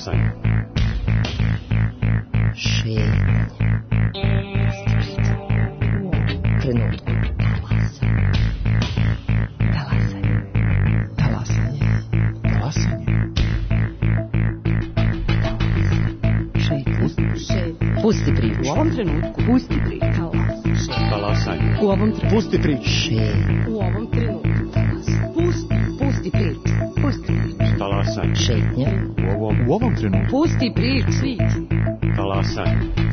Talasanje. Šetnja. Trenutku. Talasanje. Talasanje. Talasanje. Šetnja. Pusti priču. U ovom trenutku. Pusti priču. Talasanje. U ovom trenutku. Pusti priču. Šetnja. U ovom trenutku. Pusti priču. Pusti priču. Talasanje. Šetnja. U ovom trenutku. Pusti priču. Talasanje.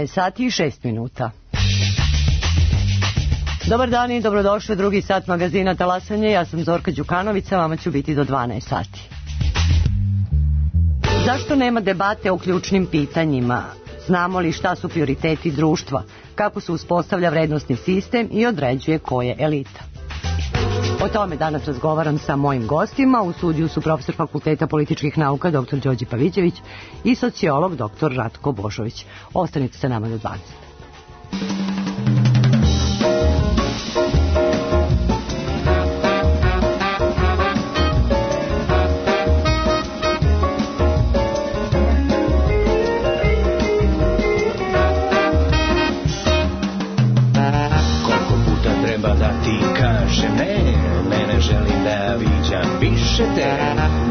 Sati i 6 minuta. Dobar dan i dobrodošli u drugi sat magazina Talasanje. Ja sam Zorka Đukanović, a vama ću biti do 12 sati. Zašto nema debate o ključnim pitanjima? Znamo li šta su prioriteti društva? Kako se uspostavlja vrednosni sistem i određuje ko je elita? O tome danas razgovaram sa mojim gostima. U studiju su profesor Fakulteta političkih nauka dr. Đorđe Pavićević i sociolog dr. Ratko Božović. Ostanite sa nama do 12. 'Osjećam više te,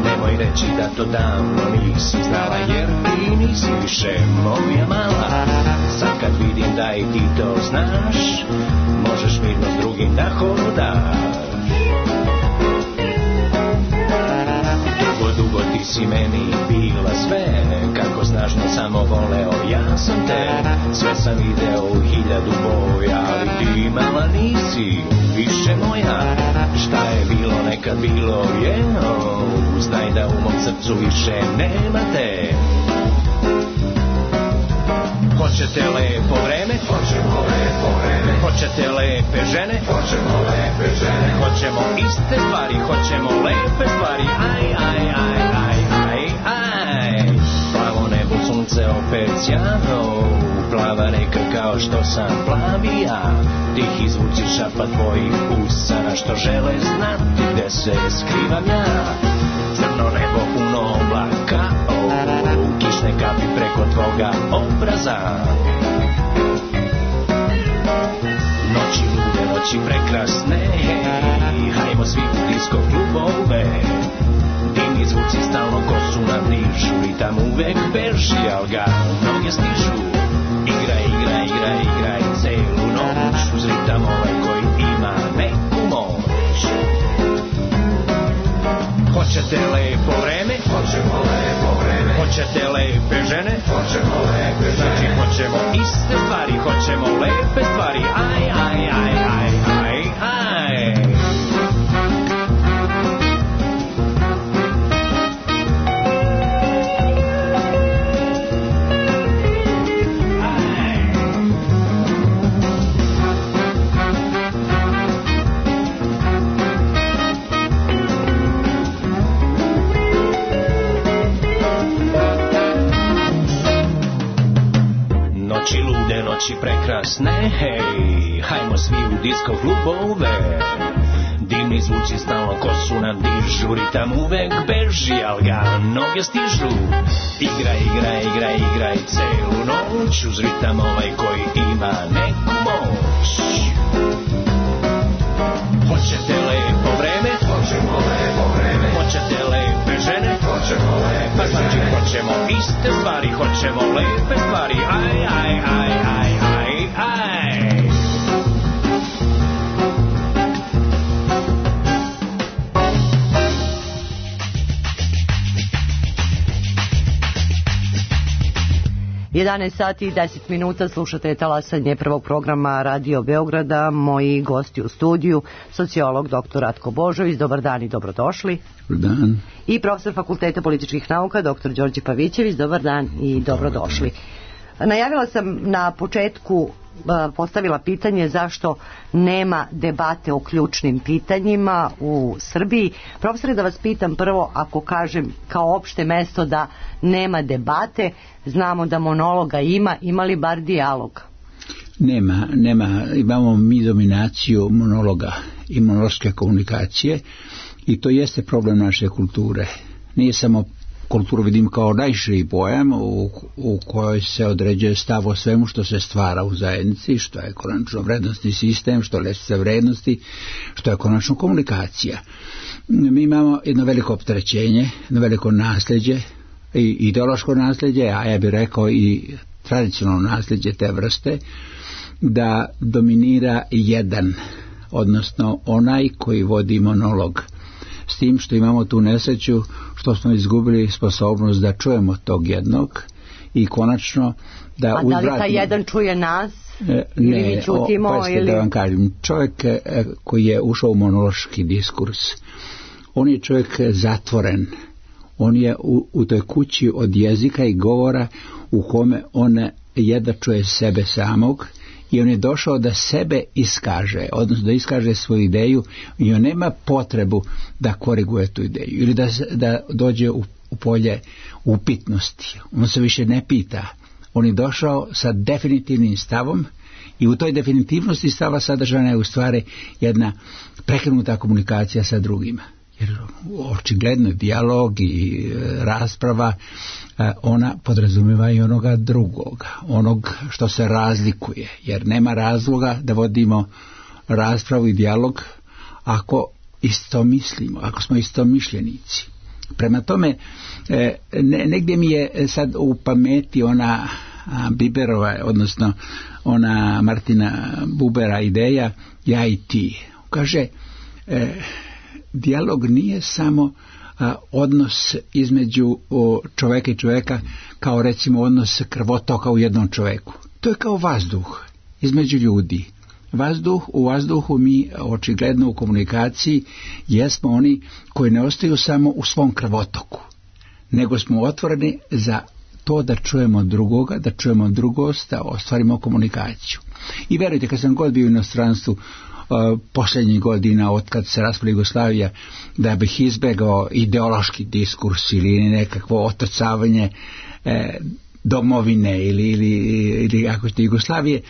nemoj reći da to davno nisi znala, jer ti nisi više moja mala. Sad kad vidim da i ti to znaš, možeš mirno s drugim da hodaš. Dugo ti si meni bila sve, kako snažno samo voleo ja sam te. Sve sam video u 1000 boja, ali ti mala nisi više moja. Šta je bilo nekad bilo je, znaj da u mom srcu više nema te. Hoćete lepo vreme? Hoćemo lepo vreme. Hoćete lepe žene? Hoćemo lepe žene. Hoćemo iste stvari, hoćemo lepe stvari. Aj, aj, aj, aj, aj, aj. Plavo nebo, sunce opet sjano, plava reka kao što sam plavi ja. Tihi zvuci šapa tvojih usana što žele znati gde se skrivam ja. Crno nebo puno oblaka, kišne kapi preko tvoga obraza. Noći lude, noći prekrasne, hajmo svi u disko klubove. Dimni zvuci stalno kosu nam dižu, ritam uvek beži, al ga noge stižu. Igraj, igraj, igraj, igraj celu noć, uz ritam ovaj koji ima neku moć. Hoćete lepo vreme? Hoćemo lepo vreme. Hoćete lepe žene? Hoćemo lepe žene. Znači hoćemo iste stvari, hoćemo lepe stvari. Aj, aj, aj, aj, aj, aj. Noći prekrasne, hej, hajmo svi u disko klubove. Dimni zvuci stalno kosu nam dižu, ritam uvek beži, al ga noge stižu. Igraj, igraj, igraj, igraj celu noć, uz ritam ovaj koji ima neku moć. Hoćete lepo vreme? Hoćemo lepo vreme. Hoćete lepe žene? Hoćemo lepe pa znači hoćemo iste stvari, hoćemo lepe stvari. Aj, aj, aj, aj, aj, aj. Sati i 10 minuta, slušate Talasanje prvog programa Radio Beograda. Moji gosti u studiju, sociolog dr. Ratko Božović, dobar dan i dobrodošli. Dobar dan. I profesor Fakulteta političkih nauka dr. Đorđe Pavićević, dobar dan i dobrodošli. Najavila sam na početku postavila pitanje zašto nema debate o ključnim pitanjima u Srbiji. Profesore, da vas pitam prvo, ako kažem kao opšte mesto da nema debate, znamo da monologa ima li bar dijaloga? Nema, imamo mi dominaciju monologa i monološke komunikacije i to jeste problem naše kulture. Nije samo kulturu vidim kao najširi pojam u kojoj se određuje stav o svemu što se stvara u zajednici, što je konačno vrednostni sistem, što je lestvica vrednosti, što je konačno komunikacija. Mi imamo jedno veliko opterećenje, jedno veliko nasljeđe, i ideološko nasljeđe, a ja bih rekao i tradicionalno nasljeđe te vrste, da dominira jedan, odnosno onaj koji vodi monolog. S tim što imamo tu nesreću što smo izgubili sposobnost da čujemo tog jednog i konačno da uzvratimo. A da li taj jedan čuje nas? Ili mi čutimo? Da vam kažem, čovjek koji je ušao u monološki diskurs, on je čovjek zatvoren. On je u toj kući od jezika i govora u kome on jedva čuje sebe samog i on je došao da sebe iskaže, odnosno da iskaže svoju ideju i on nema potrebu da koriguje tu ideju ili da dođe u polje upitnosti. On se više ne pita. On je došao sa definitivnim stavom i u toj definitivnosti stava sadržana je u stvari jedna prekinuta komunikacija sa drugima. Jer očigledno dijalog i rasprava ona podrazumijeva i onoga drugoga, onog što se razlikuje, jer nema razloga da vodimo raspravu i dijalog ako isto mislimo, ako smo istomišljenici. Prema tome, negdje mi je sad u pameti ona Biberova, odnosno ona Martina Bubera ideja ja i ti. Kaže, dijalog nije samo odnos između čovjeka i čovjeka kao recimo odnos krvotoka u jednom čovjeku. To je kao vazduh između ljudi. U vazduhu mi očigledno u komunikaciji jesmo oni koji ne ostaju samo u svom krvotoku, nego smo otvoreni za to da čujemo drugoga, da čujemo drugost, da ostvarimo komunikaciju. I verujte, kad sam god bio u inostranstvu posljednjih godina od kad se raspala Jugoslavija, da bih izbegao ideološki diskurs ili nekakvo otocavanje domovine ili ako ste Jugoslavije,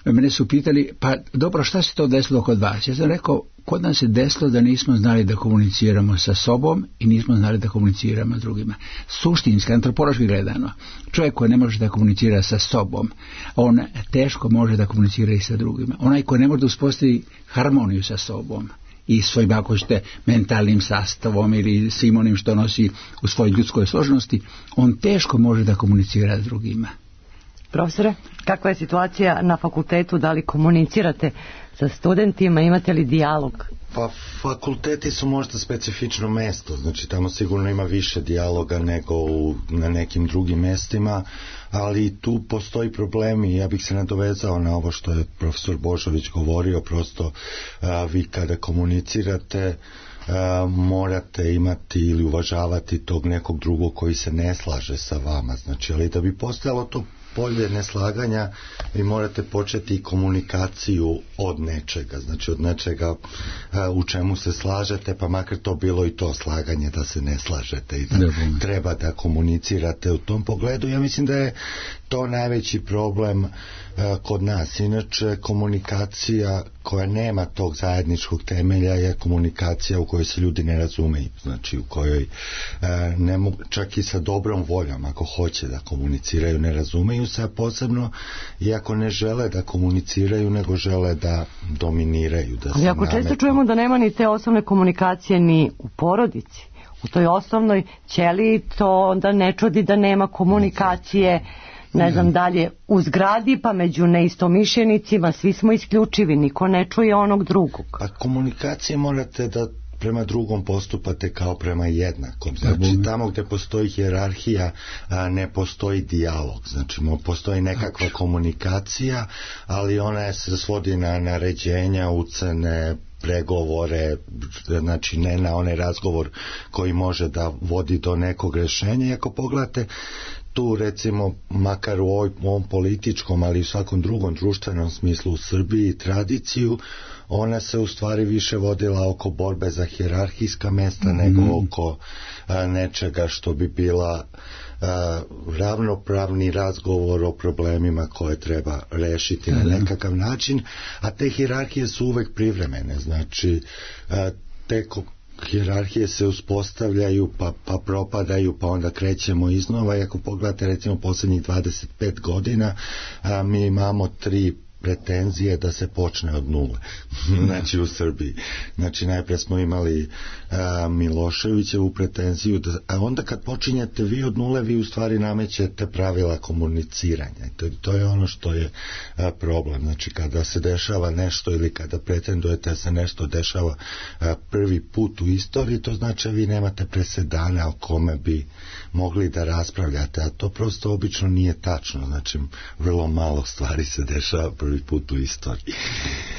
mene su pitali, pa dobro, šta se to desilo kod vas? Ja sam rekao, kod nas se desilo da nismo znali da komuniciramo sa sobom i nismo znali da komuniciramo s drugima. Suštinski, antropološki gledano, čovjek koji ne može da komunicira sa sobom, on teško može da komunicira i sa drugima. Onaj koji ne može da uspostavi harmoniju sa sobom i svojim, ako ćete, mentalnim sastavom ili svim onim što nosi u svojoj ljudskoj složenosti, on teško može da komunicira s drugima. Profesore, kakva je situacija na fakultetu, da li komunicirate sa studentima, imate li dijalog? Pa fakulteti su možda specifično mesto, znači tamo sigurno ima više dijaloga nego na nekim drugim mestima, ali tu postoji problem i ja bih se nadovezao na ovo što je profesor Božović govorio, prosto vi kada komunicirate morate imati ili uvažavati tog nekog drugog koji se ne slaže sa vama, znači, ali da bi postojalo to polje neslaganja, vi morate početi komunikaciju od nečega, znači od nečega u čemu se slažete, pa makar to bilo i to slaganje da se ne slažete i da treba da komunicirate u tom pogledu. Ja mislim da je to najveći problem kod nas. Inače, komunikacija koja nema tog zajedničkog temelja je komunikacija u kojoj se ljudi ne razumeju, znači u kojoj ne mogu, čak i sa dobrom voljom, ako hoće da komuniciraju, ne razumeju se, a posebno iako ne žele da komuniciraju, nego žele da dominiraju, da se nametnu. Ali ako često čujemo da nema ni te osnovne komunikacije ni u porodici, u toj osnovnoj ćeliji, to onda ne čudi da nema komunikacije, ne znam dalje, u zgradi, pa među neistomišljenicima, svi smo isključivi, niko ne čuje onog drugog. Pa komunikacije morate da prema drugom postupate kao prema jednakom. Znači tamo gdje postoji hijerarhija ne postoji dijalog. Znači postoji nekakva komunikacija, ali ona se svodi na naređenja, ucene, pregovore, znači ne na onaj razgovor koji može da vodi do nekog rješenja. I ako pogledate tu recimo makar u ovom političkom, ali i u svakom drugom društvenom smislu u Srbiji tradiciju, ona se u stvari više vodila oko borbe za hijerarhijska mesta nego oko nečega što bi bila ravnopravni razgovor o problemima koje treba rešiti na nekakav način, a te hijerarhije su uvek privremene, znači te hijerarhije se uspostavljaju pa propadaju pa onda krećemo iznova i ako pogledate recimo posljednjih 25 godina mi imamo 3 pretenzije da se počne od nule, znači u Srbiji. Znači najpre smo imali Miloševićevu pretenziju, a onda kad počinjete vi od nule, vi u stvari namećete pravila komuniciranja. To je ono što je problem. Znači kada se dešava nešto ili kada pretendujete da se nešto dešava prvi put u istoriji, to znači vi nemate presedana o kome bi mogli da raspravljate, a to prosto obično nije tačno. Znači vrlo malo stvari se dešava prvi put u istoriji.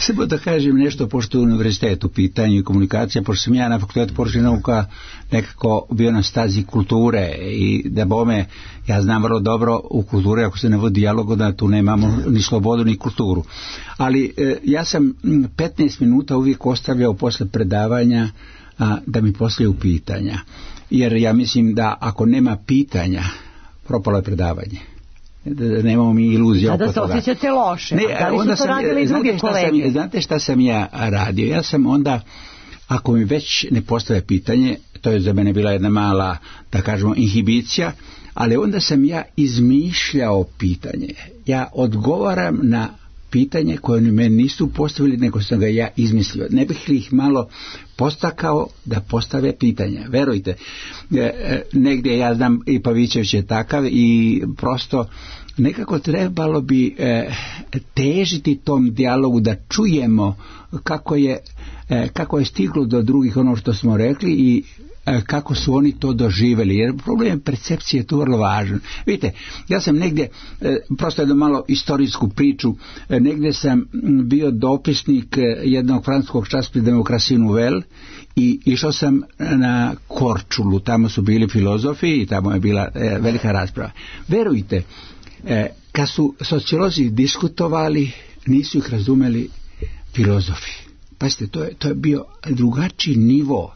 Samo da kažem nešto, pošto je univerzitet u pitanju i komunikacija, pošto sam ja na fakultetu poručnih nauka nekako bio na stazi kulture i da bome, ja znam vrlo dobro u kulturi, ako se ne vodi dijalog, da tu nemamo ni slobodu ni kulturu. Ali ja sam 15 minuta uvijek ostavljao posle predavanja da mi postavljaju pitanja. Jer ja mislim da ako nema pitanja, propalo je predavanje. Da nemamo mi iluzija oko toga. Da se osjećate loše. Da li su to radili drugi kolege? Znate šta sam ja radio? Ja sam onda, ako mi već ne postave pitanje, to je za mene bila jedna mala, da kažemo, inhibicija, ali onda sam ja izmišljao pitanje. Ja odgovaram na pitanje koje oni meni nisu postavili, nego sam ga ja izmislio. Ne bih li ih malo postakao da postave pitanja. Verujte, negdje ja znam i Pavićević je takav i prosto nekako trebalo bi težiti tom dijalogu da čujemo kako je stiglo do drugih ono što smo rekli i kako su oni to doživjeli, jer problem percepcije je tu vrlo važan. Vidite, ja sam negdje, prosto jednu malo istorijsku priču, negdje sam bio dopisnik jednog francuskog časopisa Demokracije Nouvelle i išao sam na Korčulu, tamo su bili filozofi i tamo je bila velika rasprava. Verujte, kad su sociolozi diskutovali, nisu ih razumeli filozofi. Pazite, to je bio drugačiji nivo.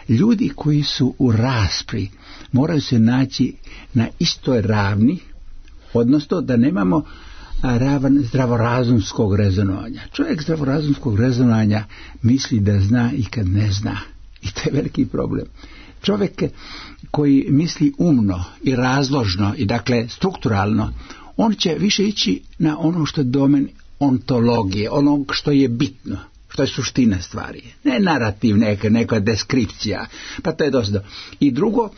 Ljudi koji su u raspravi moraju se naći na istoj ravni, odnosno da nemamo ravan zdravorazumskog rezonovanja. Čovjek zdravorazumskog rezonovanja misli da zna i kad ne zna. I to je veliki problem. Čovjek koji misli umno i razložno i dakle strukturalno, on će više ići na ono što je domen ontologije, onog što je bitno. To je suština stvari. Ne narativ, neka deskripcija. Pa to je dosta. I drugo,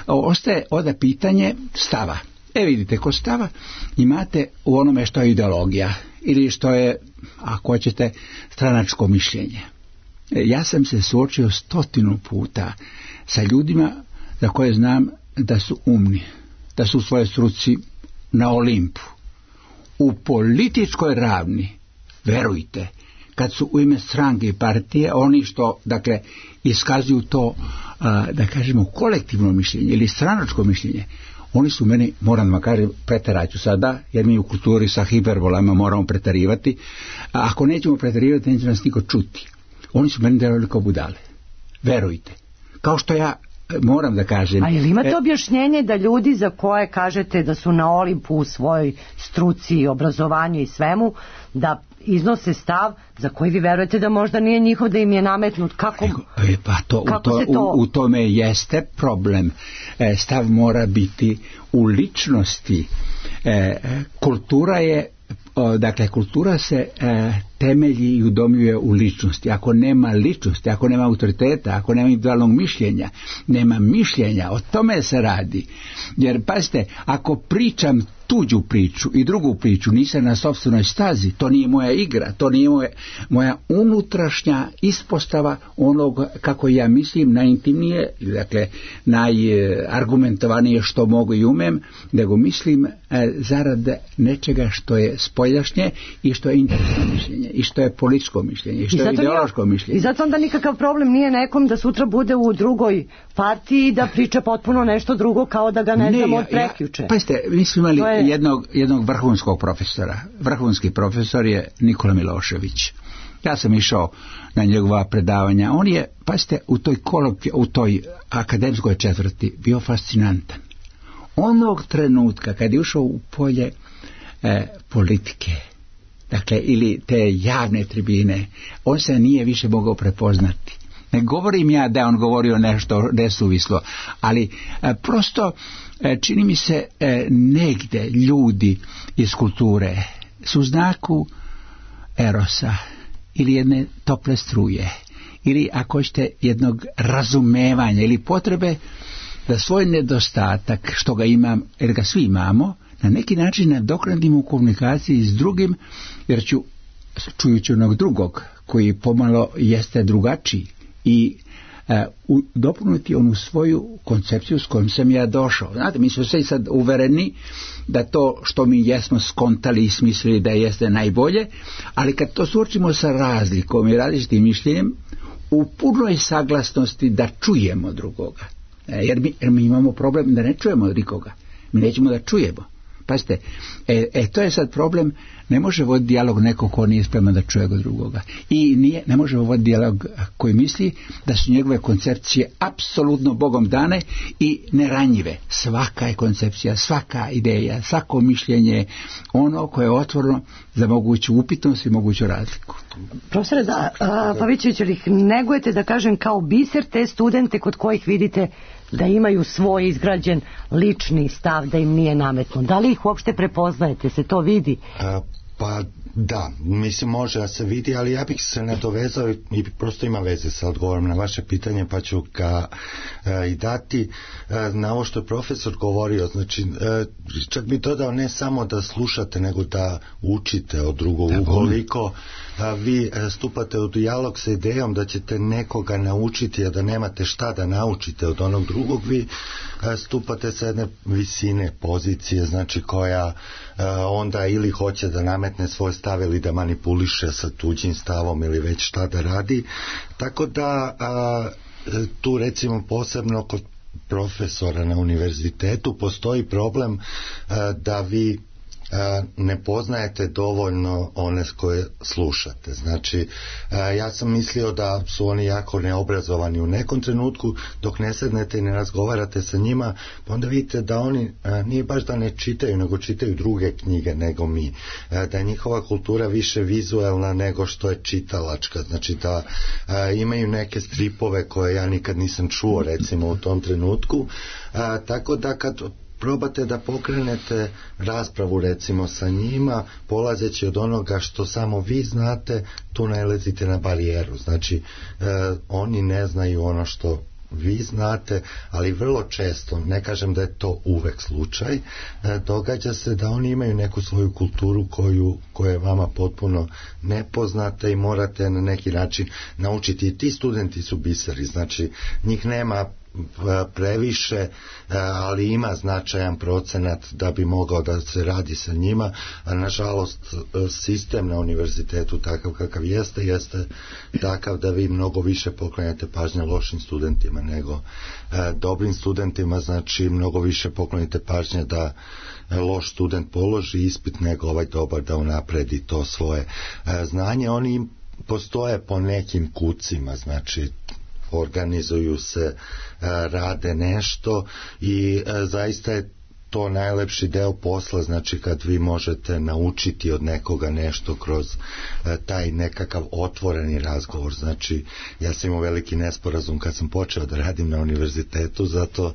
ostaje onda pitanje stava. Vidite, kod stava imate u onome što je ideologija ili što je, ako hoćete, stranačko mišljenje. Ja sam se suočio 100 puta sa ljudima za koje znam da su umni, da su u svojoj struci na Olimpu. U političkoj ravni, verujte, kad su u ime stranke i partije, oni što, dakle, iskazuju to, da kažemo, kolektivno mišljenje ili stranačko mišljenje, oni su meni, moram da vam kažem, preteraću sada, jer mi u kulturi sa hiperbolama moramo pretarivati, a ako nećemo pretarivati, neće nas niko čuti. Oni su meni delovali kao budale. Verujte. Kao što ja moram da kažem... A ili imate objašnjenje da ljudi za koje kažete da su na Olimpu u svojoj struci, obrazovanju i svemu, da iznose stav za koji vi verujete da možda nije njihov, da im je nametnut? Kako u tome jeste problem. Stav mora biti u ličnosti. Kultura se temelji i udomljuje u ličnosti. Ako nema ličnosti, ako nema autoriteta, ako nema individualnog mišljenja, nema mišljenja, o tome se radi. Jer, pazite, ako pričam tuđu priču i drugu priču, nisam na sopstvenoj stazi, to nije moja igra, to nije moja unutrašnja ispostava onog kako ja mislim najintimnije, dakle najargumentovanije što mogu i umem, nego mislim zarad nečega što je spoljašnje i što je interesno mišljenje i što je političko mišljenje i što je ideološko mišljenje. I zato onda nikakav problem nije nekom da sutra bude u drugoj partiji da priča potpuno nešto drugo kao da ga ne znamo od prekjuče. Pa ste, mi smo imali jednog vrhunskog profesora. Vrhunski profesor je Nikola Milošević. Ja sam išao na njegova predavanja. On je, pazite, u toj akademskoj četvrti bio fascinantan. Onog trenutka kad je ušao u polje politike, dakle, ili te javne tribine, on se nije više mogao prepoznati. Ne govorim ja da on govorio nešto nesuvislo, ali prosto čini mi se negde ljudi iz kulture su u znaku erosa ili jedne tople struje ili ako hoćete jednog razumevanja ili potrebe da svoj nedostatak što ga imam, jer ga svi imamo, na neki način nadoknadim u komunikaciji s drugim, jer čujući onog drugog koji pomalo jeste drugačiji i dopuniti onu svoju koncepciju s kojom sam ja došao. Znate, mi smo sve sad uvereni da to što mi jesmo skontali i smislili da jeste najbolje, ali kad to suočimo sa razlikom i različitim mišljenjem, u punoj saglasnosti da čujemo drugoga. Jer mi imamo problem da ne čujemo nikoga. Mi nećemo da čujemo. Pazite, to je sad problem, ne može voditi dijalog neko ko nije spreman da čuje go drugoga. I ne može voditi dijalog koji misli da su njegove koncepcije apsolutno Bogom dane i neranjive. Svaka je koncepcija, svaka ideja, svako mišljenje, ono koje je otvoreno za moguću upitnost i moguću razliku. Profesore, Pavićević, ali ih negujete, da kažem, kao biser te studente kod kojih vidite da imaju svoj izgrađen lični stav, da im nije nametno. Da li ih uopšte prepoznajete, se to vidi? Pa da, mislim može da se vidi, ali ja bih se nadovezao i prosto ima veze sa odgovorom na vaše pitanje, pa ću ga i dati na ovo što je profesor govorio. Znači, čak bi dodao ne samo da slušate, nego da učite od drugog. Ukoliko vi stupate u dijalog sa idejom da ćete nekoga naučiti, a da nemate šta da naučite od onog drugog, vi stupate sa jedne visine pozicije, znači koja onda ili hoće da nametne svoj stav ili da manipuliše sa tuđim stavom ili već šta da radi. Tako da tu recimo posebno kod profesora na univerzitetu postoji problem da vi ne poznajete dovoljno one koje slušate. Znači, ja sam mislio da su oni jako neobrazovani u nekom trenutku, dok ne sednete i ne razgovarate sa njima, pa onda vidite da oni nije baš da ne čitaju, nego čitaju druge knjige nego mi. Da je njihova kultura više vizuelna nego što je čitalačka. Znači da imaju neke stripove koje ja nikad nisam čuo recimo u tom trenutku. Tako da kad probate da pokrenete raspravu recimo sa njima, polazeći od onoga što samo vi znate, tu nailazite na barijeru. Znači, oni ne znaju ono što vi znate, ali vrlo često, ne kažem da je to uvek slučaj, događa se da oni imaju neku svoju kulturu koja je vama potpuno nepoznata i morate na neki način naučiti. I ti studenti su biseri, znači njih nema previše, ali ima značajan procenat da bi mogao da se radi sa njima, a nažalost sistem na univerzitetu takav kakav jeste takav da vi mnogo više poklanjate pažnje lošim studentima nego dobrim studentima. Znači mnogo više poklonite pažnje da loš student položi ispit nego ovaj dobar da unapredi to svoje znanje. Oni postoje po nekim kucima, znači organizuju se, rade nešto i zaista je to najlepši deo posla, znači kad vi možete naučiti od nekoga nešto kroz taj nekakav otvoreni razgovor. Znači ja sam imao veliki nesporazum kad sam počeo da radim na univerzitetu, zato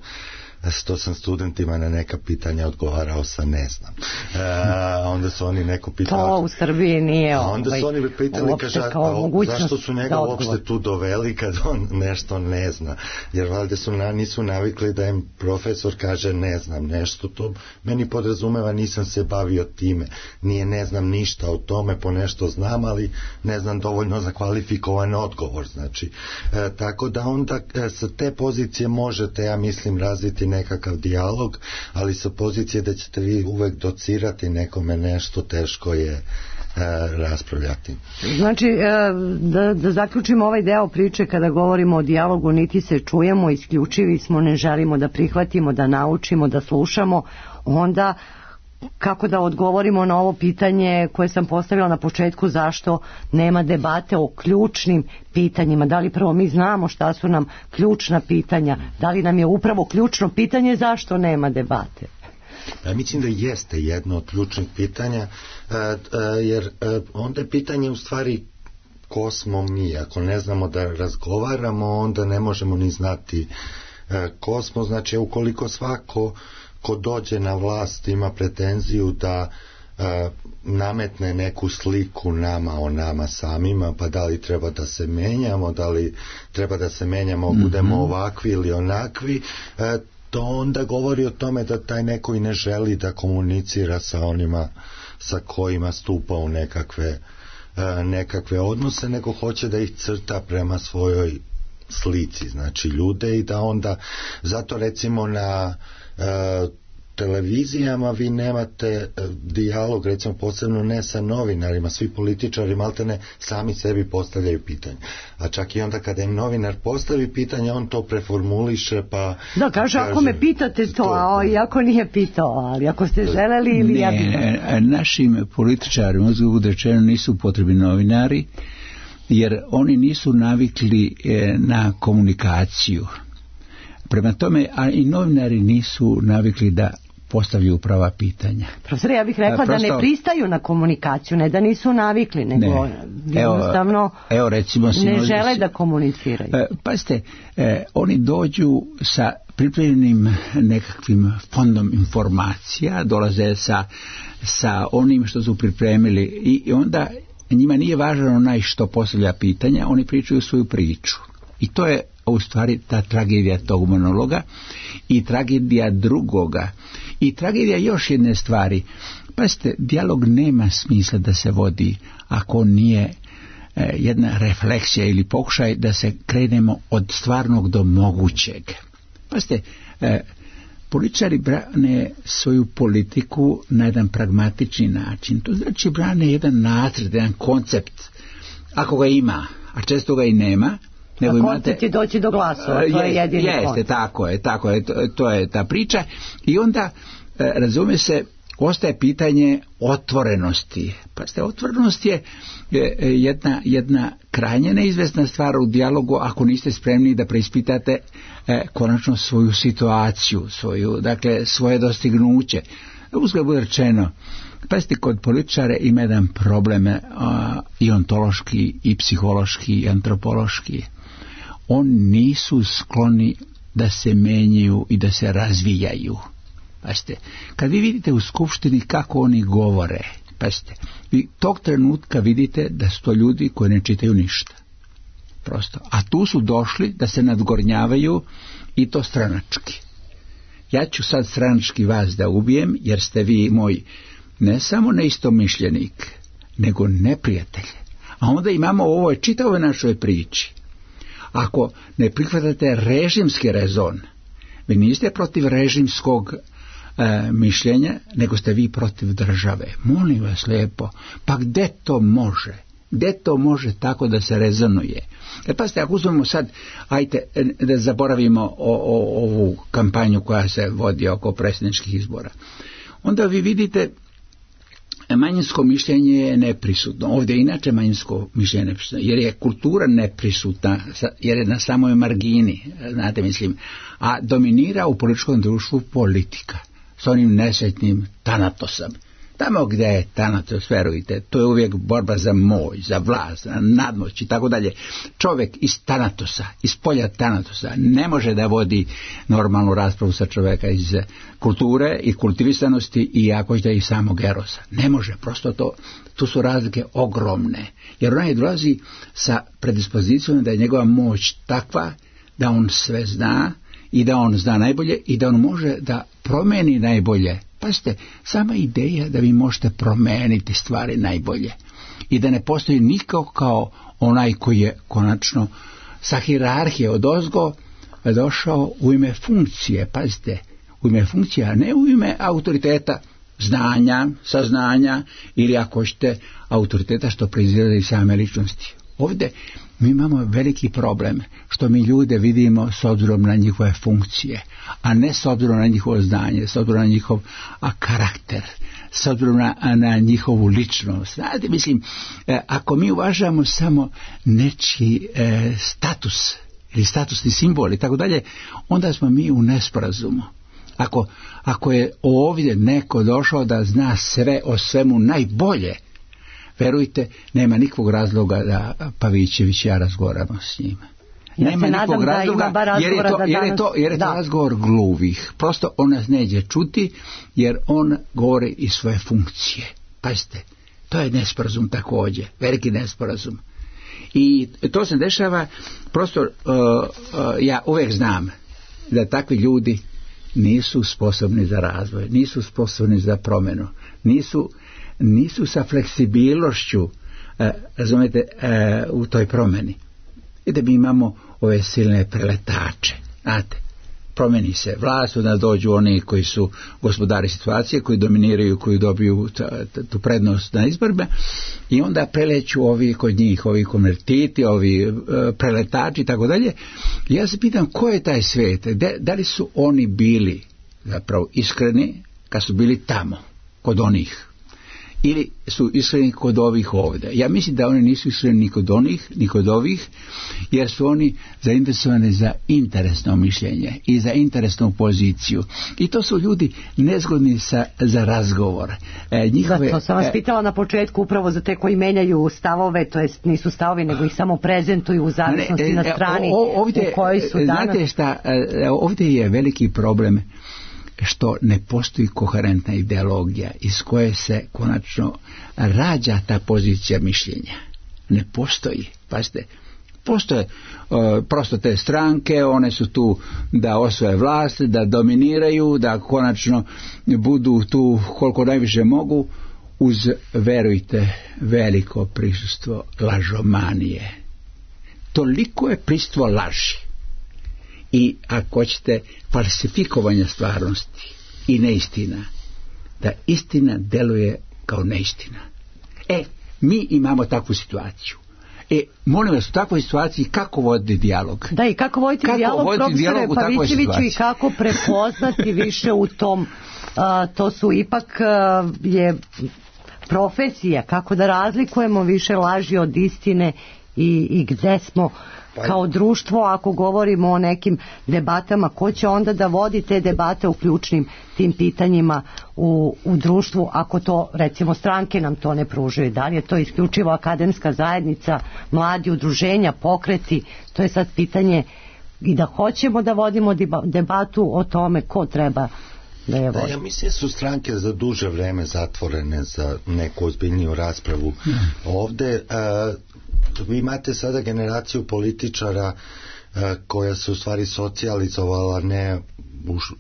što sam studentima na neka pitanja odgovarao sa ne znam. Onda su oni neko pitali... To u Srbiji nije onda su oni pitali, kaže, zašto su njega uopšte tu doveli kad on nešto ne zna. Jer valjda nisu navikli da im profesor kaže ne znam nešto. To meni podrazumeva nisam se bavio time. Nije ne znam ništa o tome, po nešto znam, ali ne znam dovoljno za kvalifikovan odgovor. Znači, tako da onda sa te pozicije možete, ja mislim, razviti nekakav dijalog, ali sa pozicije da ćete vi uvek docirati nekome nešto, teško je raspravljati. Znači, da zaključimo ovaj deo priče, kada govorimo o dijalogu, niti se čujemo, isključivi smo, ne želimo da prihvatimo, da naučimo, da slušamo, onda kako da odgovorimo na ovo pitanje koje sam postavila na početku, zašto nema debate o ključnim pitanjima? Da li prvo mi znamo šta su nam ključna pitanja? Da li nam je upravo ključno pitanje zašto nema debate? Mislim da jeste jedno od ključnih pitanja, jer onda je pitanje u stvari ko smo mi. Ako ne znamo da razgovaramo, onda ne možemo ni znati ko smo. Znači, ukoliko svako ko dođe na vlast ima pretenziju da nametne neku sliku nama o nama samima, pa da li treba da se menjamo, da li treba da se menjamo, budemo ovakvi ili onakvi, to onda govori o tome da taj neko i ne želi da komunicira sa onima sa kojima stupa u nekakve odnose, nego hoće da ih crta prema svojoj slici, znači ljude, i da onda zato recimo na televizijama vi nemate dijalog, recimo posebno ne sa novinarima, svi političari maltene sami sebi postavljaju pitanje, a čak i onda kada im novinar postavi pitanje, on to preformuliše, pa da, kaže ako me pitate to, a iako nije pitao, ali ako ste želeli ili ja bih... Našim političarima, uzgled rečeno, nisu potrebni novinari, jer oni nisu navikli na komunikaciju. Prema tome, a i novinari nisu navikli da postavljaju prava pitanja. Profesor, ja bih rekla da ne pristaju na komunikaciju, ne da nisu navikli, nego jednostavno ne žele da komuniciraju. Pazite, oni dođu sa pripremljenim nekakvim fondom informacija, dolaze sa onim što su pripremili, i onda njima nije važno onaj što postavlja pitanja, oni pričaju svoju priču. I to je u stvari ta tragedija tog monologa i tragedija drugoga i tragedija još jedne stvari. Pazite, dijalog nema smisla da se vodi ako nije jedna refleksija ili pokušaj da se krenemo od stvarnog do mogućeg. Pazite, političari brane svoju politiku na jedan pragmatični način. To znači brane jedan nacrt, jedan koncept, ako ga ima, a često ga i nema. A koncept je doći do glasova, to je jedini koncept. Tako je, to je ta priča. I onda, razume se, ostaje pitanje otvorenosti. Pazite, otvorenost je jedna krajnje neizvesna stvar u dijalogu ako niste spremni da preispitate konačno svoju situaciju, svoje dostignuće. Uzgled bude rečeno, pazite, kod političara ima jedan problem i ontološki, i psihološki, i antropološki. Oni nisu skloni da se menjaju i da se razvijaju. Pazite, kad vi vidite u skupštini kako oni govore, pazite, vi tog trenutka vidite da su to ljudi koji ne čitaju ništa. Prosto. A tu su došli da se nadgornjavaju, i to stranački. Ja ću sad stranački vas da ubijem, jer ste vi moj ne samo neistomišljenik, nego neprijatelj. A onda imamo u ovoj čitavoj našoj priči. Ako ne prihvatate režimski rezon, vi niste protiv režimskog mišljenja, nego ste vi protiv države. Molim vas lijepo, pa gde to može? Gde to može tako da se rezonuje? Pazite, ako uzmemo sad, ajte da zaboravimo ovu kampanju koja se vodi oko predsjedničkih izbora, onda vi vidite manjinsko mišljenje je neprisutno. Ovdje je inače manjinsko mišljenje neprisutno, jer je kultura neprisutna, jer je na samoj margini, znate, mislim, a dominira u političkom društvu politika, s onim nesretnim Tanatosom. Tamo gdje je tanatos, verujte, to je uvijek borba za moć, za vlast, za nadmoć i tako dalje. Čovjek iz tanatosa, iz polja tanatosa, ne može da vodi normalnu raspravu sa čovjeka iz kulture i kultivisanosti i ako ćete i samog erosa. Ne može, prosto tu su razlike ogromne. Jer onaj dolazi sa predispozicijom da je njegova moć takva da on sve zna i da on zna najbolje i da on može da promeni najbolje. Pazite, sama ideja da vi možete promeniti stvari najbolje i da ne postoji niko kao onaj koji je konačno sa hijerarhije odozgo došao u ime funkcije, pazite, u ime funkcije, a ne u ime autoriteta, znanja, saznanja ili ako hoćete autoriteta što proizlazi iz same ličnosti. Ovdje mi imamo veliki problem što mi ljude vidimo s obzirom na njihove funkcije, a ne s obzirom na njihovo znanje, s obzirom na njihov karakter, s obzirom na njihovu ličnost. Znate, mislim, ako mi uvažamo samo nečiji status ili statusni simbol i tako dalje, onda smo mi u nesporazumu. Ako je ovdje neko došao da zna sve o svemu najbolje, verujte, nema nikakvog razloga da Pavićević i ja razgovaramo s njima. Ja nema nikakvog razloga, jer je to razgovor gluvih. Prosto on nas neće čuti, jer on govori iz svoje funkcije. Pazite, to je nesporazum također, veliki nesporazum. I to se dešava, prosto ja uvijek znam da takvi ljudi nisu sposobni za razvoj, nisu sposobni za promjenu, nisu sa fleksibilnošću, razumijete, u toj promjeni. I da mi imamo ove silne preletače, znate, promjeni se vlast, onda dođu oni koji su gospodari situacije, koji dominiraju, koji dobiju tu prednost na izborima i onda preleću ovi kod njih, ovi konvertiti, ovi preletači i tako dalje. Ja se pitam ko je taj svijet, da li su oni bili zapravo iskreni kad su bili tamo, kod onih, ili su iskreni kod ovih ovdje. Ja mislim da oni nisu iskreni ni kod onih, ni kod ovih, jer su oni zainteresovani za interesno mišljenje i za interesnu poziciju. I to su ljudi nezgodni za razgovor. To sam vas pitala na početku upravo za te koji menjaju stavove, to jest nisu stavovi, nego ih samo prezentuju u zavisnosti na strani ovdje, u kojoj su danas. Znate šta, ovdje je veliki problem što ne postoji koherentna ideologija iz koje se konačno rađa ta pozicija mišljenja. Ne postoji. Pazite, postoje prosto te stranke, one su tu da osvoje vlast, da dominiraju, da konačno budu tu koliko najviše mogu, uz, verujte, veliko prisustvo lažomanije. Toliko je prisustvo laži. I ako hoćete falsifikovanje stvarnosti i neistina, da istina deluje kao neistina. Mi imamo takvu situaciju. Molim vas, u takvoj situaciji kako voditi dijalog? Da, i kako voditi dijalog, profesore Pavićeviću, i kako prepoznati više u tom, to su ipak je profesija, kako da razlikujemo više laži od istine i gde smo kao društvo, ako govorimo o nekim debatama, ko će onda da vodi te debate u ključnim tim pitanjima u društvu, ako to, recimo, stranke nam to ne pružaju. Da li je to isključivo akademska zajednica, mladi, udruženja, pokreti? To je sad pitanje, i da hoćemo da vodimo debatu o tome ko treba da je vodi. Ja mislim da su stranke za duže vreme zatvorene za neku ozbiljniju raspravu. Ovdje vi imate sada generaciju političara koja se u stvari socijalizovala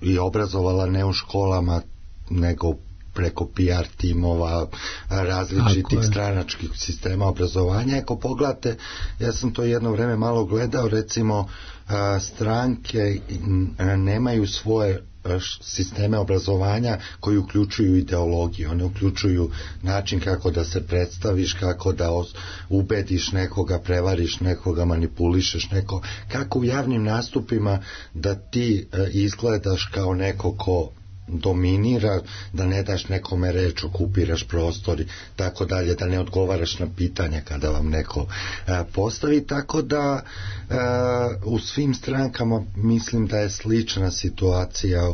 i obrazovala ne u školama, nego preko PR timova, različitih stranačkih sistema obrazovanja. Ako pogledate, ja sam to jedno vreme malo gledao, recimo stranke nemaju svoje sisteme obrazovanja koji uključuju ideologiju, one uključuju način kako da se predstaviš, kako da ubediš nekoga, prevariš nekoga, manipulišeš nekoga, kako u javnim nastupima da ti izgledaš kao neko ko dominira, da ne daš nekome reč, okupiraš prostor i tako dalje, da ne odgovaraš na pitanja kada vam neko postavi, tako da u svim strankama mislim da je slična situacija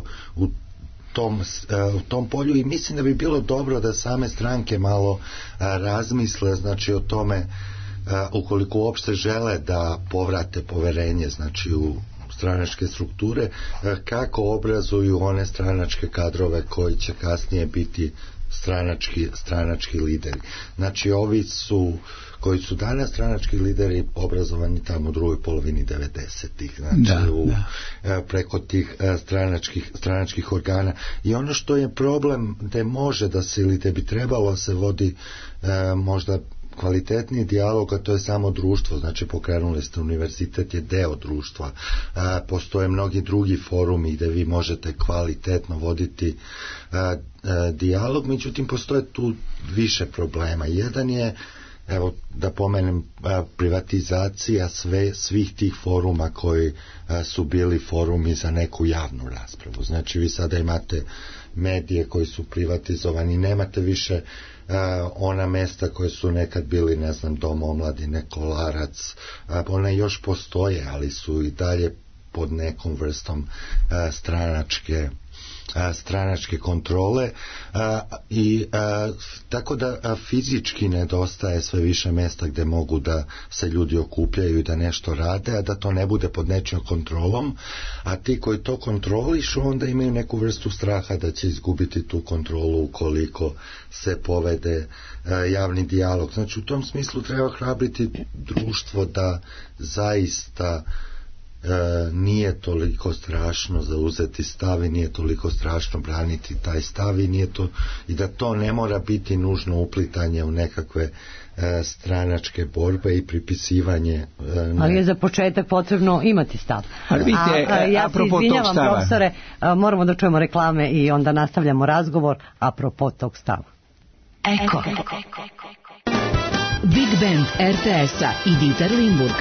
tom polju i mislim da bi bilo dobro da same stranke malo razmisle, znači o tome ukoliko uopšte žele da povrate poverenje, znači u stranačke strukture, kako obrazuju one stranačke kadrove koji će kasnije biti stranački lideri. Znači ovi koji su danas stranački lideri obrazovani tamo u drugoj polovini 90-ih, znači preko tih stranačkih organa. I ono što je problem gde može da se ili gde bi trebalo se vodi možda kvalitetniji dijalog, a to je samo društvo, znači pokrenuli ste univerzitet, je deo društva. Postoje mnogi drugi forumi gde vi možete kvalitetno voditi dijalog, međutim postoje tu više problema. Jedan je, evo da pomenem, privatizacija svih tih foruma koji su bili forumi za neku javnu raspravu. Znači vi sada imate medije koji su privatizovani, nemate više ona mesta koje su nekad bili, ne znam, Dom omladine, Kolarac, one još postoje, ali su i dalje pod nekom vrstom stranačke kontrole i tako da fizički nedostaje sve više mesta gde mogu da se ljudi okupljaju i da nešto rade, a da to ne bude pod nečijom kontrolom, a ti koji to kontrolišu onda imaju neku vrstu straha da će izgubiti tu kontrolu ukoliko se povede javni dijalog. Znači u tom smislu treba hrabriti društvo da zaista nije toliko strašno zauzeti stav i nije toliko strašno braniti taj stav i da to ne mora biti nužno uplitanje u nekakve stranačke borbe i pripisivanje. Ali je za početak potrebno imati stav. Ja se izvinjavam, profesore, moramo da čujemo reklame i onda nastavljamo razgovor apropo tog stava. Eko. Big Band RTS-a i Dieter Limburg.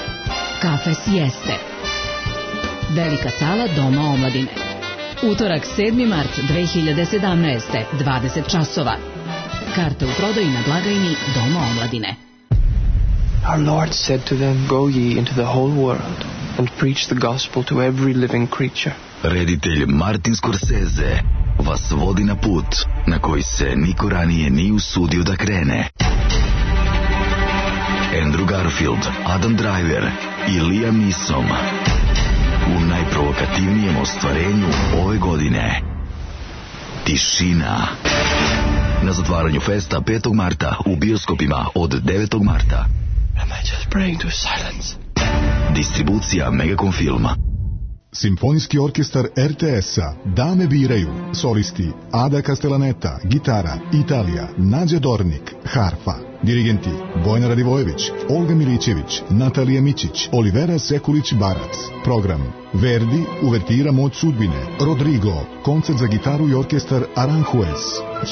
Kafe Sieste. Velika sala Doma omladine. Utorak 7. mart 2017. 20 časova. Karte u prodaji na blagajni Doma omladine. Our Lord said to them, Go ye into the whole world and preach the gospel to every living creature. Reditelj Martin Scorsese vas vodi na put na koji se niko ranije nije usudio da krene. Andrew Garfield, Adam Driver i Liam Neeson u najprovokativnijem ostvarenju ove godine. Tišina. Na zatvaranju festa 5. marta u bioskopima od 9. marta. Am I just praying to silence? Distribucija Megacom Filma. Simfonijski orkestar RTS-a Dame biraju. Solisti Ada Castellaneta, gitara, Italija, Nađa Dornik, harfa. Dirigenti Bojana Radivojević, Olga Milićević, Natalija Mićić, Olivera Sekulić-Barac. Program Verdi, uvertira Moć sudbine, Rodrigo, koncert za gitaru i orkestar Aranjuez,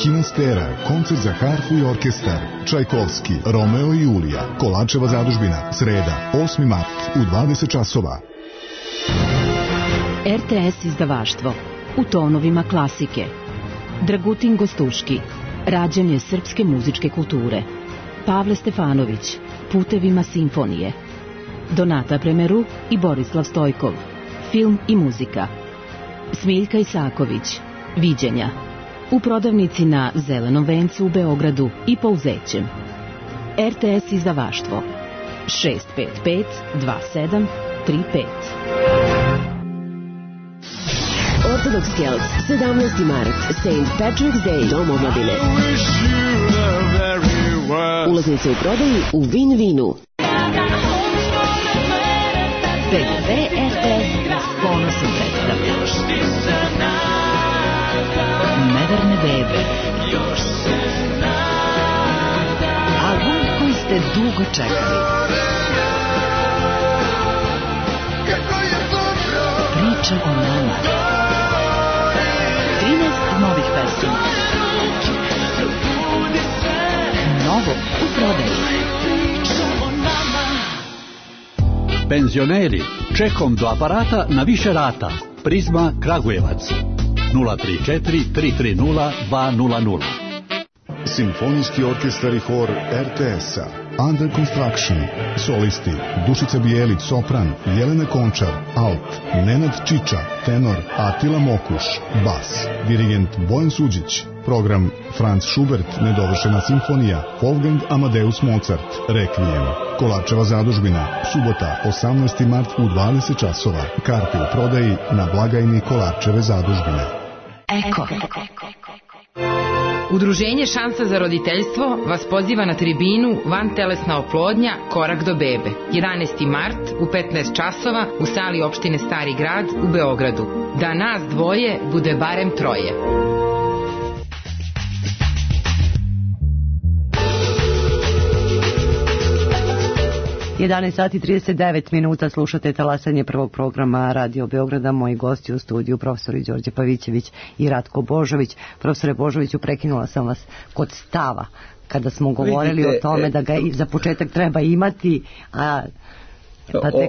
Hinastera, koncert za harfu i orkestar, Čajkovski, Romeo i Julija, Kolačeva zadužbina, sreda, 8. mart u 20 časova. RTS izdavaštvo u tonovima klasike. Dragutin Gostuški, rađanje srpske muzičke kulture. Pavle Stefanović, putevima simfonije. Donata Premeru i Borislav Stojkov, film i muzika. Smiljka Isaković, viđenja. U prodavnici na Zelenom vencu u Beogradu i Pouzećem. RTS izdavaštvo 655 27 35. Orthodox Celts, 17. mart, St. Patrick's Day, Dom omladine. Ulaznice u prodaji u Win-Winu. PDV RTS s ponosom predstavlja Neverne bebe. Album koji ste dugo čekali. Priča o nama. 13 novih pesama. Novo u prodaji. Penzioneri, čekom do aparata na više rata. Prizma Kragujevac 034 330 200. Simfonijski orkestar i hor RTS-a Under Construction, solisti Dušica Bijelić, sopran, Jelena Končar, alt, Nenad Čiča, tenor, Atila Mokuš, bas, dirigent Bojan Suđić, program Franz Schubert, nedovršena simfonija, Wolfgang Amadeus Mozart, Requiem, Kolarčeva zadužbina, subota, 18. mart u 20 časova, karte u prodaji na blagajni Kolarčeve zadužbine. Eko. Udruženje Šansa za roditeljstvo vas poziva na tribinu Vantelesna oplodnja, korak do bebe. 11. mart u 15 časova u sali opštine Stari grad u Beogradu. Da nas dvoje bude barem troje. 11 sati 39 minuta, slušate talasanje prvog programa Radio Beograda. Moji gosti u studiju, profesori Đorđe Pavićević i Ratko Božović. Profesore Božoviću, prekinula sam vas kod stava, kada smo govorili o tome da ga za početak treba imati, a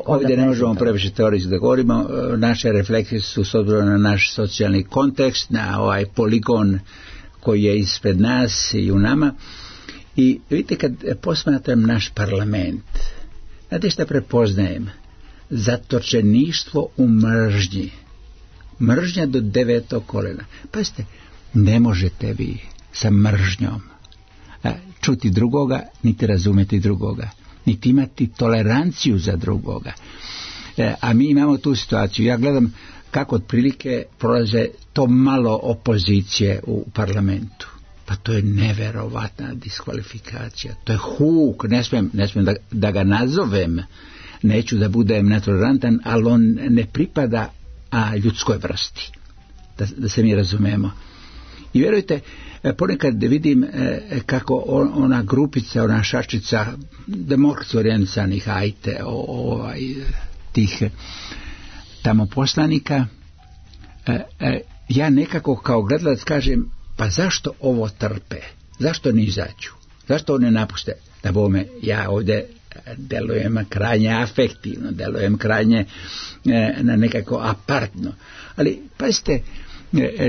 ovdje ne možemo previše teorijski da govorimo. Naše refleksije su s obzirom na naš socijalni kontekst, na ovaj poligon koji je ispred nas i u nama. I vidite, kad posmatram naš parlament, znate šta prepoznajem? Zatočeništvo u mržnji. Mržnja do 9. kolena. Pazite, ne možete vi sa mržnjom čuti drugoga, niti razumeti drugoga, niti imati toleranciju za drugoga. A mi imamo tu situaciju. Ja gledam kako otprilike prolaze to malo opozicije u parlamentu. Pa to je neverovatna diskvalifikacija. To je huk, ne smijem da ga nazovem, neću da budem netolerantan, ali on ne pripada ljudskoj vrsti. Da se mi razumemo. I vjerujte, ponekad vidim kako ona grupica, ona šačica demokratski orijentisanih tih tamo poslanika, ja nekako kao gledalac kažem, pa zašto ovo trpe? Zašto ne izađu? Zašto ovo ne napuste? Da bome, ja ovdje delujem krajnje afektivno, delujem krajnje na nekako apartno. Ali, pazite,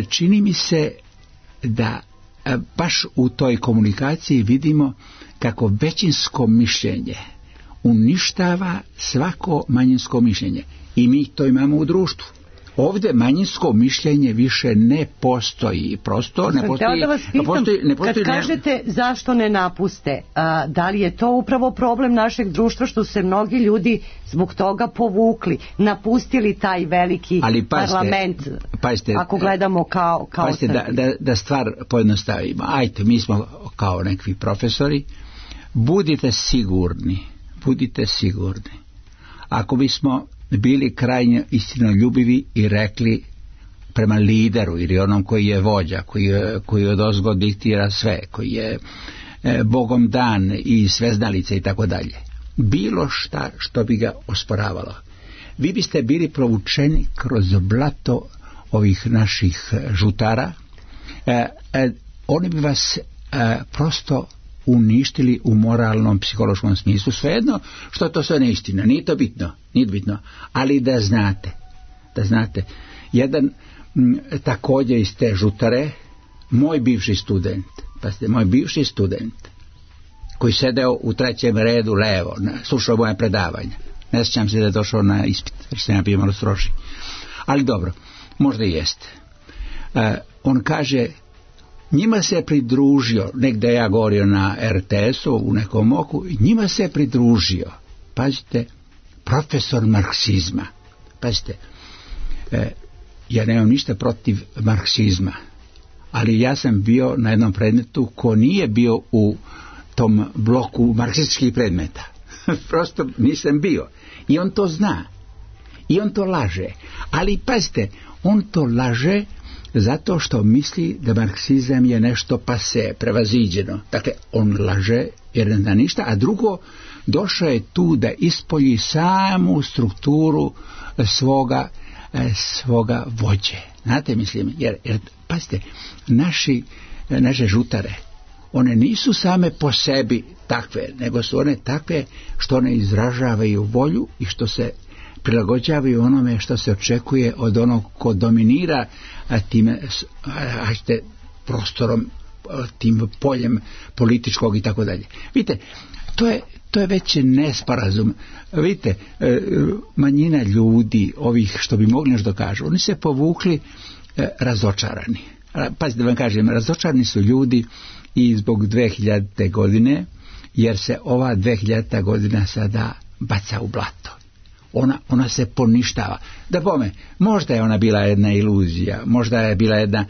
čini mi se da baš u toj komunikaciji vidimo kako većinsko mišljenje uništava svako manjinsko mišljenje. I mi to imamo u društvu. Ovdje manjinsko mišljenje više ne postoji. Prosto ne postoji. Da vas pitam, kad kažete zašto ne napuste, da li je to upravo problem našeg društva što su se mnogi ljudi zbog toga povukli, napustili taj veliki parlament, ako gledamo kao da stvar pojednostavimo. Ajte, mi smo kao nekvi profesori, budite sigurni. Ako bismo bili krajnje istinoljubivi i rekli prema lideru ili onom koji je vođa, koji odozgo diktira sve, koji je Bogom dan i sveznalice i tako dalje, bilo šta što bi ga osporavalo, vi biste bili provučeni kroz blato ovih naših žutara. Oni bi vas prosto uništili u moralnom, psihološkom smislu. Svejedno što to sve neistina, nije to bitno, ali da znate, jedan također iz te žutare, moj bivši student, koji sedeo u 3. redu levo, slušao moje predavanja, ne sjećam se da je došao na ispit, jer sam ja bio malo stroži, ali dobro, možda i jeste. On kaže, njima se pridružio, negdje ja govorio na RTS-u u nekom oku, njima se pridružio, pazite, profesor marksizma. Pazite, ja nemam ništa protiv marksizma, ali ja sam bio na jednom predmetu ko nije bio u tom bloku marksističkih predmeta. Prosto nisam bio. I on to zna. I on to laže. Ali pazite, on to laže zato što misli da marksizam je nešto pase, prevaziđeno. Dakle, on laže jer ne zna ništa, a drugo, došao je tu da ispolji samu strukturu svoga vođe. Znate, mislim, jer pazite, naše žutare, one nisu same po sebi takve, nego su one takve što one izražavaju volju i što se prilagođavaju onome što se očekuje od onog ko dominira tim prostorom, tim poljem političkog i tako dalje. Vidite, to je već nesporazum. Vidite, manjina ljudi, ovih što bi mogli nešto kažu, oni se povukli razočarani. Pazite da vam kažem, razočarani su ljudi i zbog 2000. godine, jer se ova 2000. godina sada baca u blato. Ona se poništava. Da pome, možda je ona bila jedna iluzija, možda je bila jedna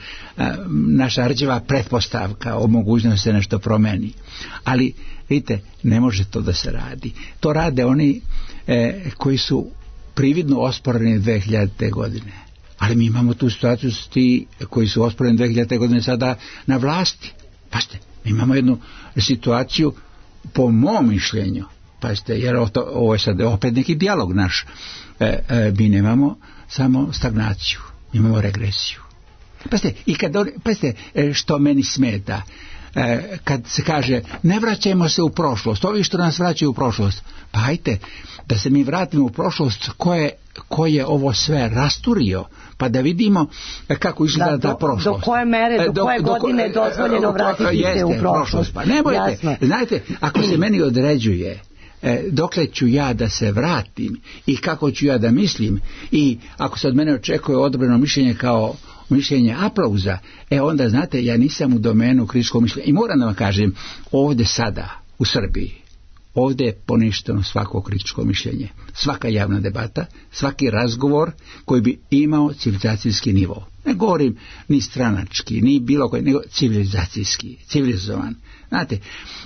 naša rđeva pretpostavka o mogućnosti se nešto promeni. Ali, vidite, ne može to da se radi. To rade oni koji su prividno osporeni 2000. godine. Ali mi imamo tu situaciju s ti koji su osporeni 2000. godine sada na vlasti. Pazite, mi imamo jednu situaciju, po mom mišljenju, pazite, jer ovo je sad opet neki dijalog naš, mi nemamo samo stagnaciju, imamo regresiju. Pazite, što meni smeta, kad se kaže ne vraćajmo se u prošlost, ovi što nas vraćaju u prošlost, pa hajte da se mi vratimo u prošlost, ko je ovo sve rasturio, pa da vidimo kako izgleda ta prošlost. Do koje mere, do koje godine je dozvoljeno vratiti se u prošlost. Pa ne bojte, znajte, ako se meni određuje dokle ću ja da se vratim i kako ću ja da mislim, i ako se od mene očekuje odobreno mišljenje kao mišljenje aplauza, onda znate, ja nisam u domenu kritičkog mišljenja. I moram da vam kažem, ovdje sada u Srbiji, ovdje je poništeno svako kritičko mišljenje, svaka javna debata, svaki razgovor koji bi imao civilizacijski nivo. Ne govorim ni stranački, ni bilo koji, nego civilizacijski, civilizovan. Znate,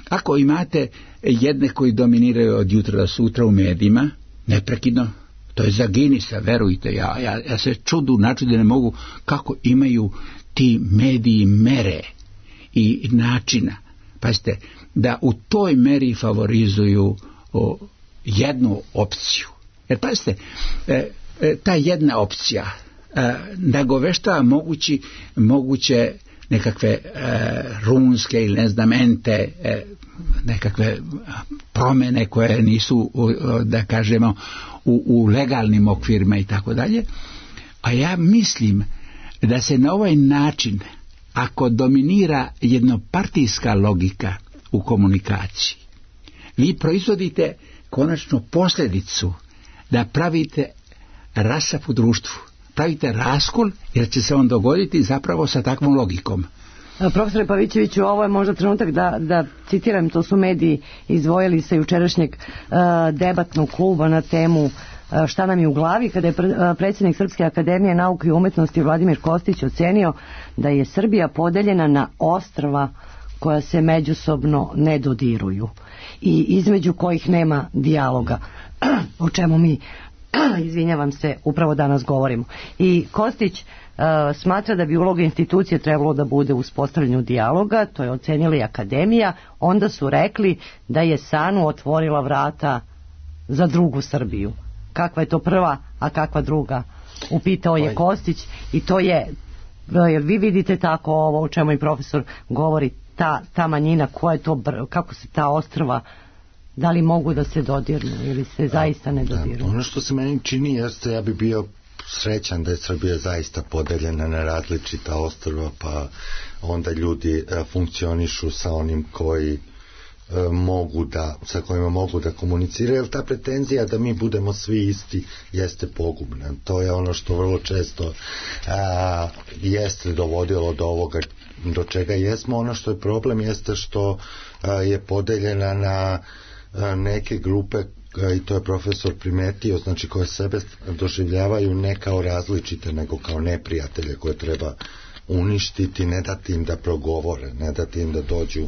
ako imate jedne koji dominiraju od jutra do sutra u medijima, neprekidno, to je za Guinnessa, verujte, ja se načudim ne mogu kako imaju ti mediji mere i načina. Pazite, da u toj meri favorizuju jednu opciju. Jer pazite, ta jedna opcija nagoveštava moguće nekakve runske ili mente, nekakve promjene koje nisu, da kažemo, u legalnim okvirima i tako dalje. A ja mislim da se na ovaj način, ako dominira jednopartijska logika u komunikaciji, vi proizvodite konačno posljedicu da pravite rasap u društvu, pravite raskol, jer će se on dogoditi zapravo sa takvom logikom. Profesore Pavićeviću, ovo je možda trenutak da citiram, to su mediji izdvojili sa jučerašnjeg debatnog kluba na temu Šta nam je u glavi, kada je predsjednik Srpske akademije nauke i umetnosti Vladimir Kostić ocenio da je Srbija podeljena na ostrva koja se međusobno ne dodiruju i između kojih nema dijaloga, o čemu mi, izvinjavam se, upravo danas govorimo. I Kostić smatra da bi uloga institucije trebalo da bude u uspostavljanju dijaloga, to je ocenila i akademija, onda su rekli da je SANU otvorila vrata za drugu Srbiju. Kakva je to prva, a kakva druga? Upitao je Kostić i to je, jer vi vidite tako ovo o čemu i profesor govori, ta manjina, kako se ta ostrva, da li mogu da se dodirnu ili se zaista ne dodirnu? Ono što se meni čini jeste, ja bi bio srećan da je Srbija zaista podeljena na različita ostrva, pa onda ljudi funkcionišu sa onim koji sa kojima mogu da komuniciraju, jer ta pretenzija da mi budemo svi isti jeste pogubna. To je ono što vrlo često jeste dovodilo do ovoga do čega jesmo. Ono što je problem jeste što je podeljena na neke grupe, i to je profesor primetio, znači koje sebe doživljavaju ne kao različite, nego kao neprijatelje koje treba uništiti, ne dati im da progovore, ne dati im da dođu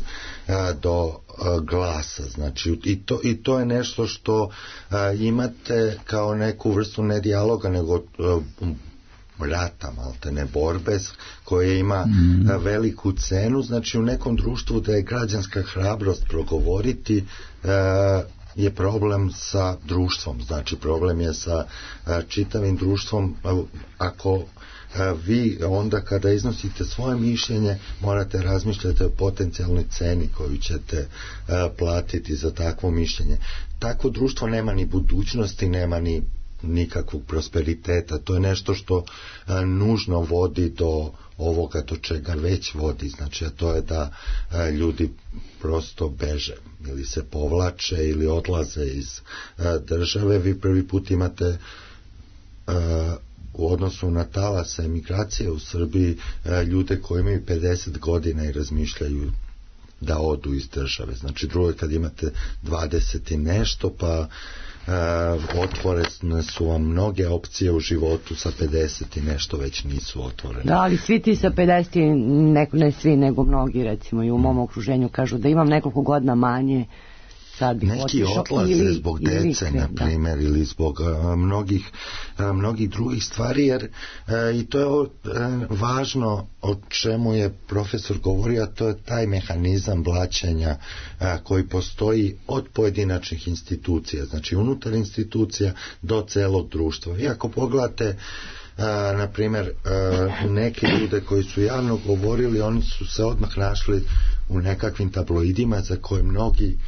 do glasa. Znači, i to je nešto što imate kao neku vrstu ne dijaloga, nego rata, maltene borbe koje ima veliku cenu. Znači, u nekom društvu da je građanska hrabrost progovoriti je problem sa društvom, znači problem je sa čitavim društvom. Ako vi onda kada iznosite svoje mišljenje morate razmišljati o potencijalnoj ceni koju ćete platiti za takvo mišljenje. Takvo društvo nema ni budućnosti, nema ni nikakvog prosperiteta. To je nešto što nužno vodi do ovoga do čega već vodi, znači a to je da ljudi prosto beže ili se povlače ili odlaze iz države. Vi prvi put imate u odnosu na talase emigracije u Srbiji ljude koji imaju 50 godina i razmišljaju da odu iz države. Znači drugo je kad imate 20 i nešto, pa otvorene su vam mnoge opcije u životu, sa 50 i nešto već nisu otvorene. Da, ali svi ti sa 50, ne svi, nego mnogi, recimo i u mom okruženju kažu da imam nekoliko godina manje, sad bih neki otišao, odlaze zbog dece, na primjer, ili zbog mnogih drugih stvari, jer i to je važno o čemu je profesor govorio, a to je taj mehanizam blaćenja koji postoji od pojedinačnih institucija, znači unutar institucija do celog društva. Vi ako pogledate na primjer neke ljude koji su javno govorili, oni su se odmah našli u nekakvim tabloidima za koje mnogi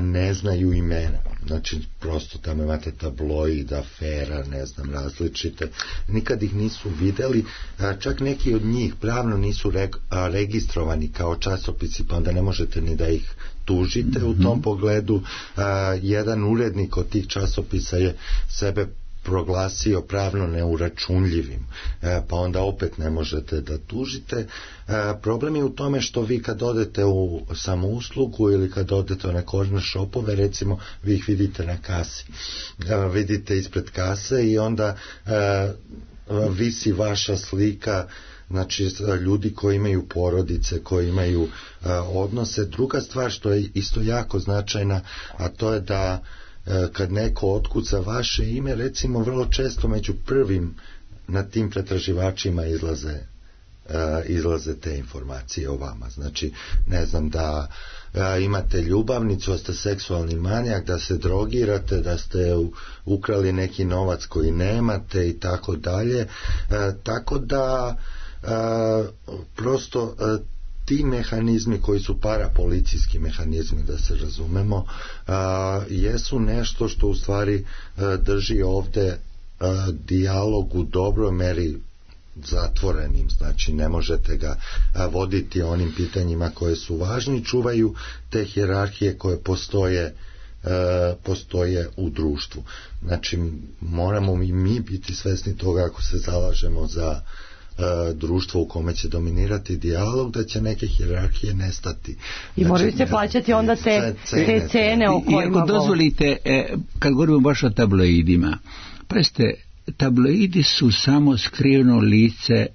ne znaju imena, znači prosto tamo imate tabloid, afera, ne znam, različite, nikad ih nisu videli, čak neki od njih pravno nisu registrovani kao časopisi, pa onda ne možete ni da ih tužite u tom pogledu. Jedan urednik od tih časopisa je sebe proglasio pravno neuračunljivim, pa onda opet ne možete da tužite. Problem je u tome što vi kad odete u samouslugu ili kad odete u neke corner shopove, recimo, vi ih vidite na kasi, vidite ispred kase i onda visi vaša slika, znači ljudi koji imaju porodice, koji imaju odnose. Druga stvar što je isto jako značajna, a to je da kad neko otkuca vaše ime, recimo vrlo često među prvim na tim pretraživačima izlaze te informacije o vama. Znači, ne znam, da imate ljubavnicu, da ste seksualni manijak, da se drogirate, da ste ukrali neki novac koji nemate i tako dalje. Tako da prosto ti mehanizmi koji su parapolicijski mehanizmi, da se razumemo, jesu nešto što u stvari drži ovde dijalog u dobroj meri zatvorenim, znači ne možete ga voditi onim pitanjima koje su važni, čuvaju te hijerarhije koje postoje u društvu. Znači moramo i mi biti svesni toga, ako se zalažemo za društvo u kome će dominirati dijalog, da će neke hijerarhije nestati. I moraju se plaćati onda te cene o kojima... I ako dozvolite, kad govorimo baš o tabloidima, preste, tabloidi su samo skriveno lice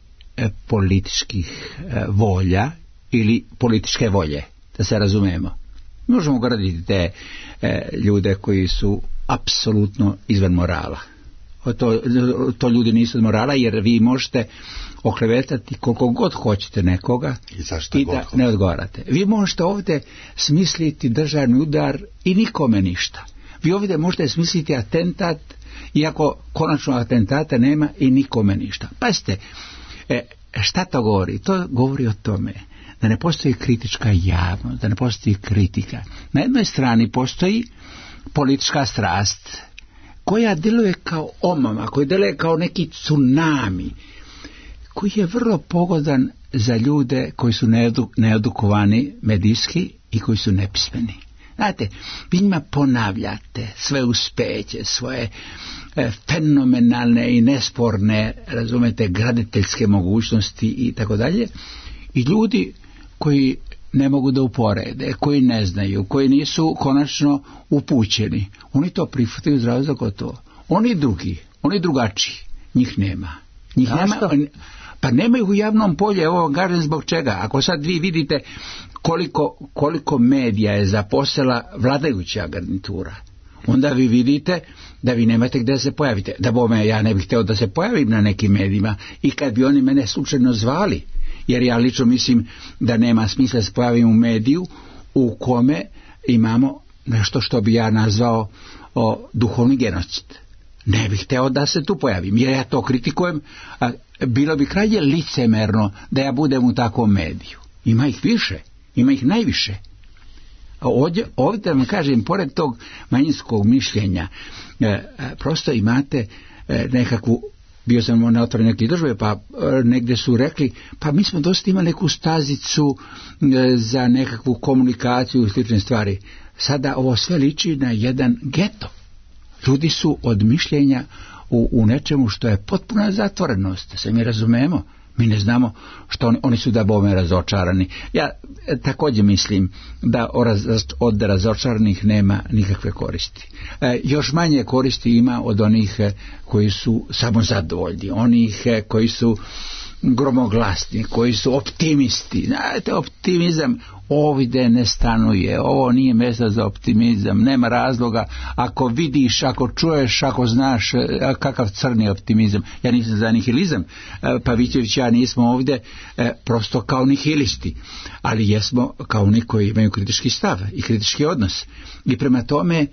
političkih volja ili političke volje, da se razumemo. Možemo graditi te ljude koji su apsolutno izvan morala. To ljudi nisu od morala, jer vi možete oklevetati koliko god hoćete nekoga i da ne odgovarate. Vi možete ovdje smisliti državni udar i nikome ništa. Vi ovdje možete smisliti atentat, iako konačno atentata nema i nikome ništa. Pazite, šta to govori? To govori o tome da ne postoji kritička javnost, da ne postoji kritika. Na jednoj strani postoji politička strast koja djeluje kao omama, koja djeluje kao neki tsunami, koji je vrlo pogodan za ljude koji su needukovani medijski i koji su nepismeni. Znate, vi njima ponavljate sve uspeće, svoje fenomenalne i nesporne, razumete, graditeljske mogućnosti i tako dalje, i ljudi koji ne mogu da uporede, koji ne znaju, koji nisu konačno upućeni, oni to prihvataju zdravo za gotovo. Oni drugi, oni drugačiji, njih nema. Njih nema, pa nemaju u javnom polju, evo vam kažem zbog čega. Ako sad vi vidite koliko medija je zaposlila vladajuća garnitura, onda vi vidite da vi nemate gdje se pojavite. Da bome, ja ne bih htio da se pojavim na nekim medijima i kad bi oni mene slučajno zvali, jer ja lično mislim da nema smisla da se pojavim u mediju u kome imamo nešto što bi ja nazvao duhovni genocid. Ne bih hteo da se tu pojavim, jer ja to kritikujem, a bilo bi krajnje licemerno da ja budem u takvom mediju. Ima ih više, ima ih najviše. Ovdje da vam kažem, pored tog manjinskog mišljenja, prosto imate nekakvu bio sam na otvorenju neke države, pa negdje su rekli, pa mi smo dosta imali neku stazicu za nekakvu komunikaciju i slične stvari. Sada ovo sve liči na jedan geto. Ljudi su od mišljenja u nečemu što je potpuna zatvorenost, se mi razumemo. Mi ne znamo što oni su da bome razočarani. Ja također mislim da od razočaranih nema nikakve koristi. Još manje koristi ima od onih koji su samo zadovoljni, onih koji su gromoglasni, koji su optimisti. Znate, optimizam ovdje ne stanuje, ovo nije mjesto za optimizam, nema razloga. Ako vidiš, ako čuješ, ako znaš kakav crni optimizam. Ja nisam za nihilizam, Pavićević, ja nismo ovdje prosto kao nihilisti, ali jesmo kao oni koji imaju kritički stav i kritički odnos. I prema tome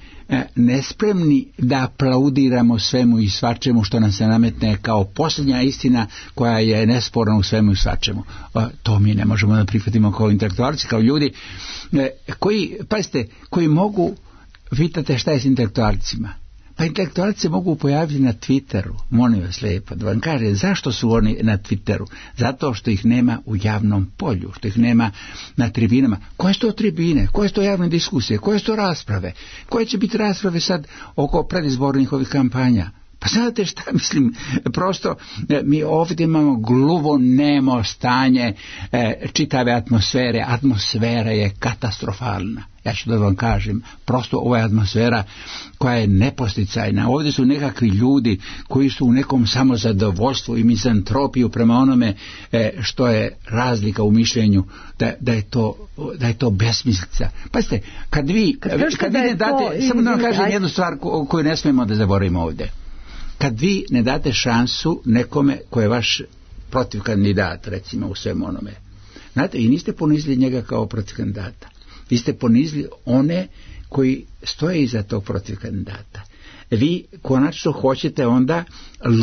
nespremni da aplaudiramo svemu i svačemu što nam se nametne kao posljednja istina koja je nesporna u svemu i svačemu. To mi ne možemo da prihvatimo kao intelektualci, kao ljudi koji, pazite, koji mogu, pitate šta je s intelektualcima? Pa intelektualci mogu pojaviti na Twitteru, molim vas lijepo, da vam kaže zašto su oni na Twitteru. Zato što ih nema u javnom polju, što ih nema na tribinama. Koje su to tribine, koje su to javne diskusije, koje su to rasprave, koje će biti rasprave sad oko predizbornih ovih kampanja. Pa znate šta mislim, prosto mi ovdje imamo gluvo nemo stanje čitave atmosfere. Atmosfera je katastrofalna. Ja ću da vam kažem, prosto ova je atmosfera koja je neposticajna. Ovdje su nekakvi ljudi koji su u nekom samozadovoljstvu i mizantropiju prema onome što je razlika u mišljenju, da je to besmislica. Pazite, kad vi ne date, samo da vam kažem jednu stvar koju ne smijemo da zaboravimo ovdje. Kad vi ne date šansu nekome ko je vaš protiv kandidat, recimo u svem onome, znate, i niste ponizili njega kao protiv kandidata. Vi ste ponizili one koji stoje iza tog protiv kandidata. Vi konačno hoćete onda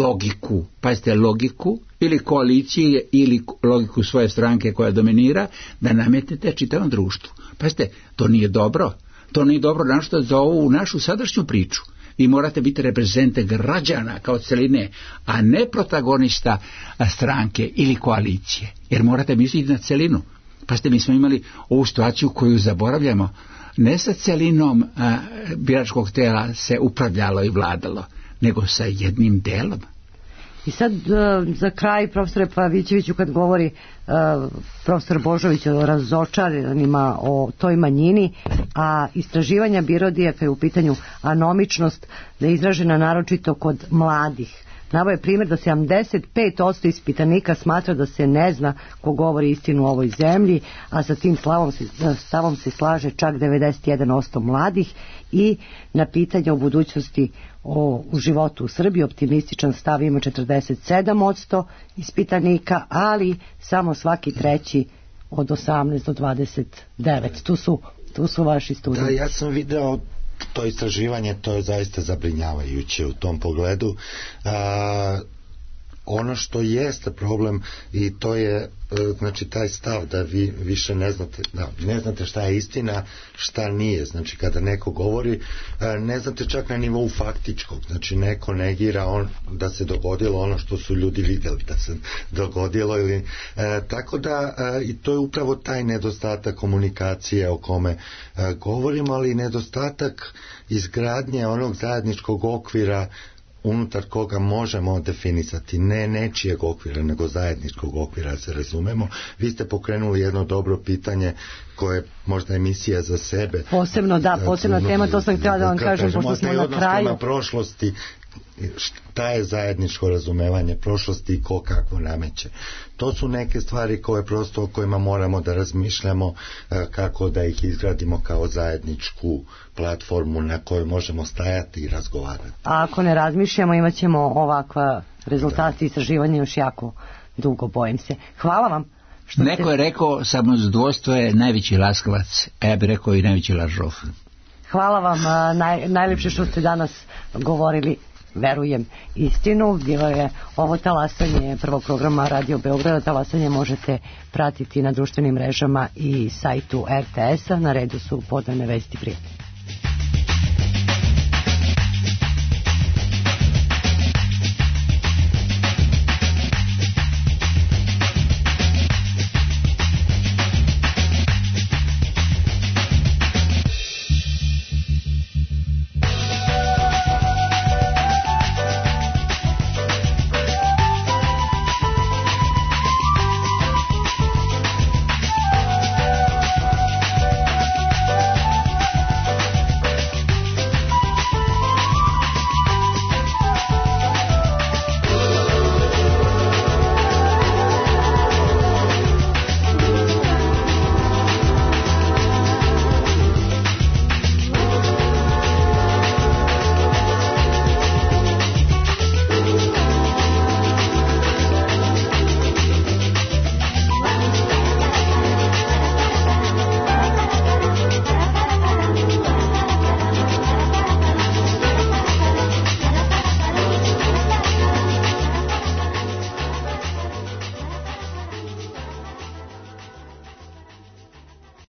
logiku, pazite, logiku ili koalicije ili logiku svoje stranke koja dominira, da nametnete čitavom društvu. Pazite, to nije dobro. To nije dobro našto za ovu našu sadašnju priču. Vi morate biti reprezente građana kao celine, a ne protagonista stranke ili koalicije. Jer morate misliti na celinu. Pa ste, mi smo imali ovu situaciju koju zaboravljamo. Ne sa celinom biračkog tela se upravljalo i vladalo, nego sa jednim delom. I sad za kraj, profesore Pavićeviću, kad govori profesor Božović o razočaranima, o toj manjini, a istraživanja BIRODIA je u pitanju anomičnost da je izražena naročito kod mladih. Naveo je primjer da 75% ispitanika smatra da se ne zna ko govori istinu u ovoj zemlji, a sa tim stavom se slaže čak 91% mladih. I na pitanje o budućnosti u životu u Srbiji optimističan stav ima 47% ispitanika, ali samo svaki treći od 18 do 29. Tu su vaši studiji. Da, ja sam video to istraživanje, to je zaista zabrinjavajuće u tom pogledu. Ono što jeste problem, i to je znači taj stav da vi više ne znate šta je istina, šta nije. Znači kada neko govori, ne znate čak na nivou faktičkog. Znači neko negira da se dogodilo ono što su ljudi vidjeli da se dogodilo, ili tako da i to je upravo taj nedostatak komunikacije o kome govorimo, ali i nedostatak izgradnje onog zajedničkog okvira unutar koga možemo definisati, ne nečijeg okvira, nego zajedničkog okvira, se razumemo. Vi ste pokrenuli jedno dobro pitanje koje je možda emisija za sebe. Posebna tema, to sam htjela da vam kažem, pošto smo na kraju. Prema prošlosti, šta je zajedničko razumevanje prošlosti i ko kakvo nameće. To su neke stvari koje prosto o kojima moramo da razmišljamo, kako da ih izgradimo kao zajedničku platformu na kojoj možemo stajati i razgovarati. A ako ne razmišljamo, imat ćemo ovakva rezultati istraživanja još jako dugo, bojim se. Hvala vam. Neko je rekao, samozadovoljstvo je najveći laskavac, a ja bih rekao i najveći lažov. Hvala vam, najljepše što ste danas govorili, verujem, istinu. Bilo je ovo talasanje prvog programa Radio Beograda. Talasanje možete pratiti na društvenim mrežama i sajtu RTS-a. Na redu su podane vesti prijatelji.